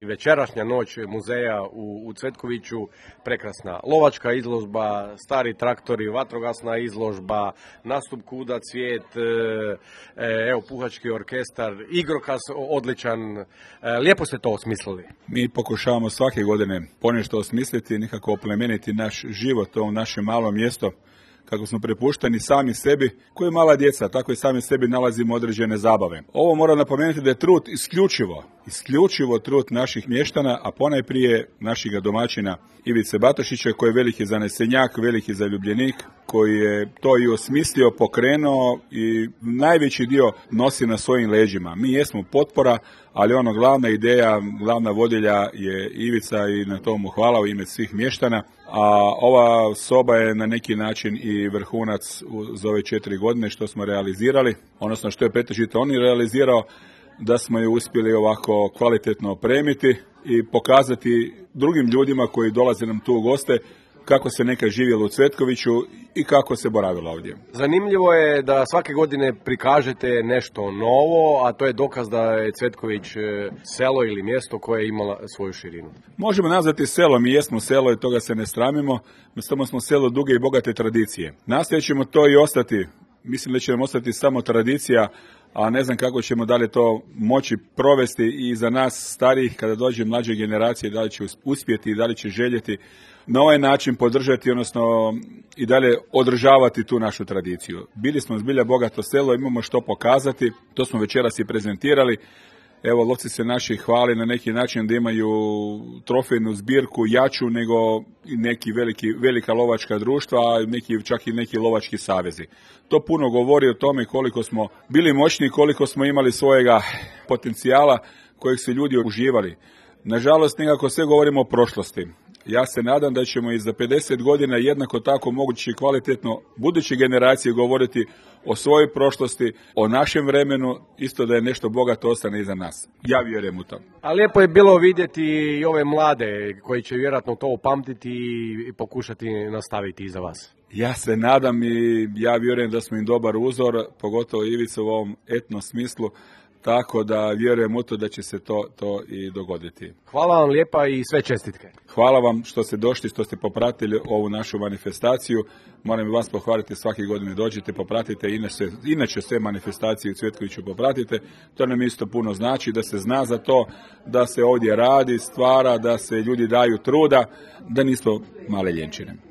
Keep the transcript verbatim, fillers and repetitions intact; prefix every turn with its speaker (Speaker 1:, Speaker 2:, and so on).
Speaker 1: Večerašnja noć muzeja u, u Cvetkoviću, prekrasna lovačka izložba, stari traktori, vatrogasna izložba, nastup Kuda cvijet, e, evo puhački orkestar, igrokaz odličan, e, lijepo ste to osmislili.
Speaker 2: Mi pokušavamo svake godine ponešto osmisliti, nekako oplemeniti naš život, ovo naše malo mjesto, kako smo prepušteni sami sebi, koji je mala djeca, tako i sami sebi nalazimo određene zabave. Ovo moram napomenuti da je trud isključivo, isključivo trud naših mještana, a ponajprije naših domaćina Ivice Batošića, koji je veliki zanesenjak, veliki zaljubljenik, koji je to i osmislio, pokrenuo i najveći dio nosi na svojim leđima. Mi jesmo potpora, ali ono glavna ideja, glavna vodilja je Ivica i na tomu hvala u ime svih mještana. A ova soba je na neki način i vrhunac za ove četiri godine što smo realizirali, odnosno što je pretežito on i realizirao, da smo je uspjeli ovako kvalitetno opremiti i pokazati drugim ljudima koji dolaze nam tu u goste kako se nekad živjelo u Cvetkoviću i kako se boravilo ovdje.
Speaker 1: Zanimljivo je da svake godine prikažete nešto novo, a to je dokaz da je Cvetković selo ili mjesto koje je imalo svoju širinu.
Speaker 2: Možemo nazvati selo, mi jesmo selo i toga se ne sramimo, mi samo smo selo duge i bogate tradicije. Nastojat ćemo to i ostati, mislim da će nam ostati samo tradicija, a ne znam kako ćemo dalje to moći provesti i za nas starijih kada dođe mlađe generacije, da li će uspjeti i da li će željeti na ovaj način podržati, odnosno i dalje održavati tu našu tradiciju. Bili smo zbilja bogato selo, imamo što pokazati, to smo večeras i prezentirali. Evo, lovci se naši hvali na neki način da imaju trofejnu zbirku jaču nego neki veliki, velika lovačka društva, a neki, čak i neki lovački savezi. To puno govori o tome koliko smo bili moćni, koliko smo imali svojega potencijala kojeg su ljudi uživali. Nažalost, nekako sve govorimo o prošlosti. Ja se nadam da ćemo i za pedeset godina jednako tako mogući kvalitetno buduće generacije govoriti o svojoj prošlosti, o našem vremenu, isto da je nešto bogato ostane iza nas. Ja vjerujem u to.
Speaker 1: A lijepo je bilo vidjeti i ove mlade koji će vjerojatno to upamtiti i pokušati nastaviti iza vas.
Speaker 2: Ja se nadam i ja vjerujem da smo im dobar uzor, pogotovo Ivica u ovom etno smislu. Tako da vjerujem u to da će se to, to i dogoditi.
Speaker 1: Hvala vam lijepa i sve čestitke.
Speaker 2: Hvala vam što ste došli, što ste popratili ovu našu manifestaciju. Moram i vas pohvaliti, svake godine dođete, popratite, inače, inače sve manifestacije u Cvetkoviću popratite. To nam isto puno znači, da se zna za to, da se ovdje radi, stvara, da se ljudi daju truda, da nismo male ljenčine.